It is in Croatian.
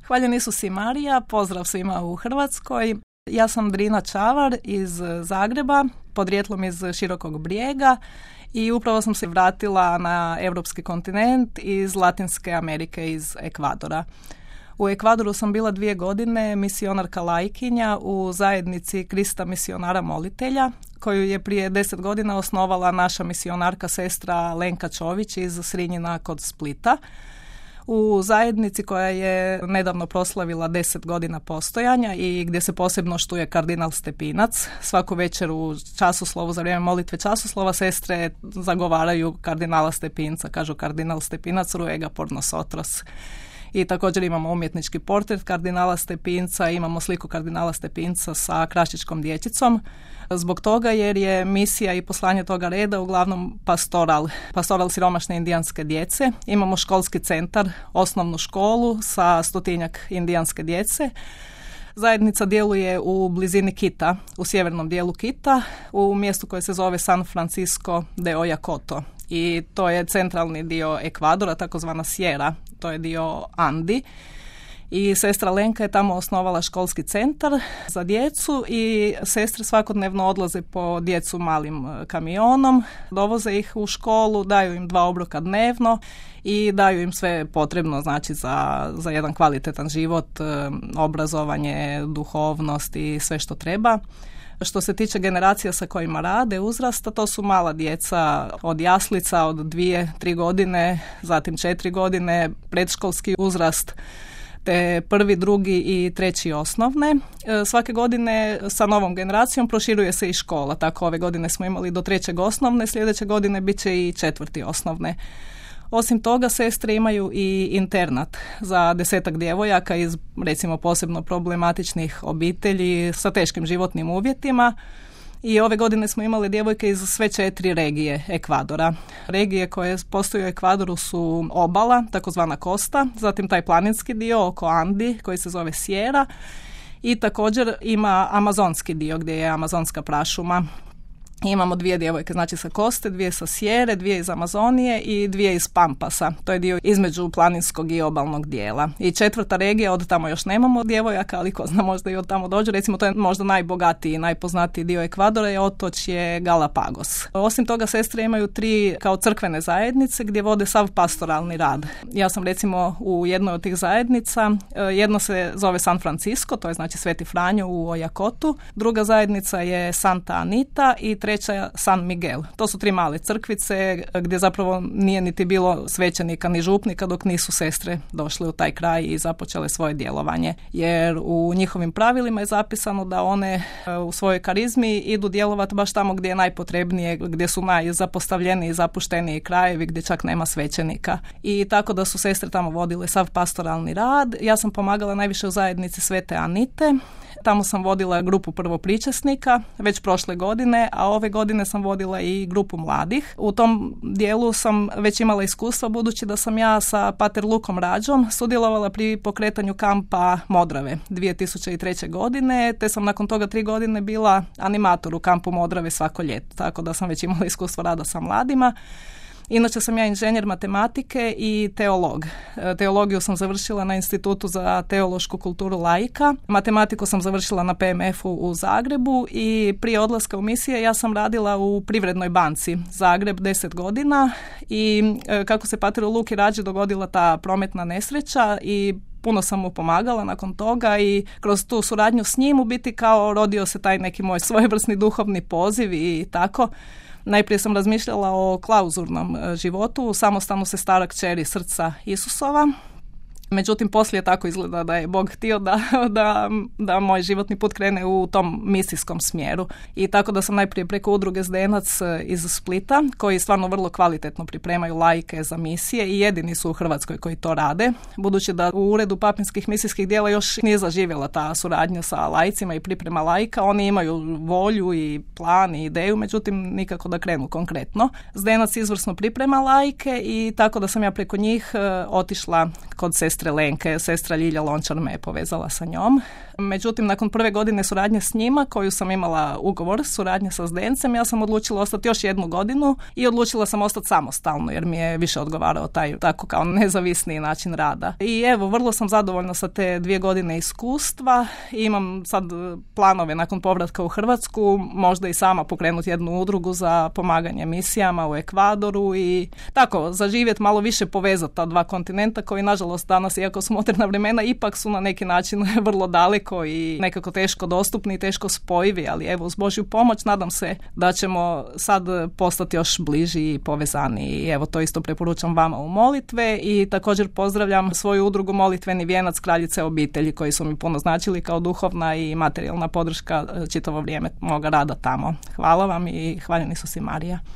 Hvaljen Isus i Marija, pozdrav svima u Hrvatskoj. Ja sam Drina Čavar iz Zagreba, podrijetlom iz Širokog Brijega i upravo sam se vratila na europski kontinent iz Latinske Amerike, iz Ekvadora. U Ekvadoru sam bila 2 godine misionarka laikinja u zajednici Krista misionara molitelja, koju je prije 10 godina osnovala naša misionarka sestra Lenka Čović iz Srinjina kod Splita. U zajednici koja je nedavno proslavila 10 godina postojanja i gdje se posebno štuje kardinal Stepinac. Svaku večer u časoslovu, za vrijeme molitve časoslova, sestre zagovaraju kardinala Stepinca. Kažu kardinal Stepinac ruega por nosotros. I također imamo umjetnički portret kardinala Stepinca, imamo sliku kardinala Stepinca sa krašičkom dječicom. Zbog toga jer je misija i poslanje toga reda uglavnom pastoral siromašne indijanske djece. Imamo školski centar, osnovnu školu sa 100-tinjak indijanske djece. Zajednica djeluje u blizini Kita, u sjevernom dijelu Kita, u mjestu koje se zove San Francisco de Oyacoto. I to je centralni dio Ekvadora, takozvana Sierra, to je dio Andi. I sestra Lenka je tamo osnovala školski centar za djecu i sestre svakodnevno odlaze po djecu malim kamionom, dovoze ih u školu, daju im 2 obroka dnevno i daju im sve potrebno, znači za jedan kvalitetan život, obrazovanje, duhovnost i sve što treba. Što se tiče generacija sa kojima rade, uzrasta, to su mala djeca od jaslica, od 2-3 godine, zatim 4 godine, predškolski uzrast, te 1., 2. i 3. osnovne. Svake godine sa novom generacijom proširuje se i škola. Tako ove godine smo imali do 3. osnovne, sljedeće godine bit će i 4. osnovne. Osim toga, sestre imaju i internat za 10 djevojaka iz, recimo, posebno problematičnih obitelji sa teškim životnim uvjetima. I ove godine smo imali djevojke iz sve 4 regije Ekvadora. Regije koje postoje u Ekvadoru su obala, takozvana kosta, zatim taj planinski dio oko Andi koji se zove Sierra i također ima amazonski dio gdje je amazonska prašuma. Imamo 2 djevojke, znači sa koste, 2 sa Sjere, 2 iz Amazonije i 2 iz Pampasa. To je dio između planinskog i obalnog dijela. I 4. regija, od tamo još nemamo djevojaka, ali ko zna, možda i od tamo dođu. Recimo, to je možda najbogatiji i najpoznatiji dio Ekvadora, je otočje Galapagos. Osim toga, sestre imaju 3 kao crkvene zajednice gdje vode sav pastoralni rad. Ja sam recimo u jednoj od tih zajednica, jedna se zove San Francisco, to je znači Sveti Franjo u Oyacotu, druga zajednica je Santa Anita i 3. San Miguel. To su 3 male crkvice gdje zapravo nije niti bilo svećenika ni župnika dok nisu sestre došle u taj kraj i započele svoje djelovanje. Jer u njihovim pravilima je zapisano da one u svojoj karizmi idu djelovati baš tamo gdje je najpotrebnije, gdje su najzapostavljeniji i zapušteniji krajevi, gdje čak nema svećenika. I tako da su sestre tamo vodile sav pastoralni rad. Ja sam pomagala najviše u zajednici Svete Anite. Tamo sam vodila grupu prvopričasnika već prošle godine, a ove godine sam vodila i grupu mladih. U tom dijelu sam već imala iskustva budući da sam ja sa pater Lukom Rađom sudjelovala pri pokretanju kampa Modrave 2003. godine, te sam nakon toga 3 godine bila animator u kampu Modrave svako ljeto, tako da sam već imala iskustvo rada sa mladima. Inače sam ja inženjer matematike i teolog. Teologiju sam završila na Institutu za teološku kulturu laika. Matematiku sam završila na PMF-u u Zagrebu i prije odlaska u misije ja sam radila u Privrednoj banci Zagreb 10 godina i kako se pateru Luki Rađi dogodila ta prometna nesreća i puno sam mu pomagala nakon toga i kroz tu suradnju s njim u biti kao rodio se taj neki moj svojevrsni duhovni poziv i tako. Najprije sam razmišljala o klauzurnom životu, u samostanu se stara kćeri Srca Isusova. Međutim, poslije tako izgleda da je Bog htio da moj životni put krene u tom misijskom smjeru. I tako da sam najprije preko udruge Zdenac iz Splita, koji stvarno vrlo kvalitetno pripremaju laike za misije i jedini su u Hrvatskoj koji to rade. Budući da u Uredu papinskih misijskih djela još nije zaživjela ta suradnja sa laicima i priprema laika. Oni imaju volju i plan i ideju, međutim nikako da krenu konkretno. Zdenac izvrsno priprema laike i tako da sam ja preko njih otišla kod sestre Lenke. Sestra Ljilja Lončar me je povezala sa njom. Međutim, nakon prve godine suradnje s njima, koju sam imala ugovor suradnje sa Zdencem, ja sam odlučila ostati još 1 godinu i odlučila sam ostati samostalno, jer mi je više odgovarao taj tako kao nezavisni način rada. I evo, vrlo sam zadovoljna sa te 2 godine iskustva. Imam sad planove nakon povratka u Hrvatsku, možda i sama pokrenuti jednu udrugu za pomaganje misijama u Ekvadoru i tako zaživjeti, malo više povezati ta 2 kontinenta koji nažalost danas, iako su moderna vremena, ipak su na neki način vrlo daleko i nekako teško dostupni i teško spojivi, ali evo uz Božju pomoć nadam se da ćemo sad postati još bliži i povezani. I evo, to isto preporučam vama u molitve i također pozdravljam svoju udrugu Molitveni vijenac Kraljice obitelji, koji su mi puno značili kao duhovna i materijalna podrška čitavo vrijeme moga rada tamo. Hvala vam i hvaljeni su si Marija.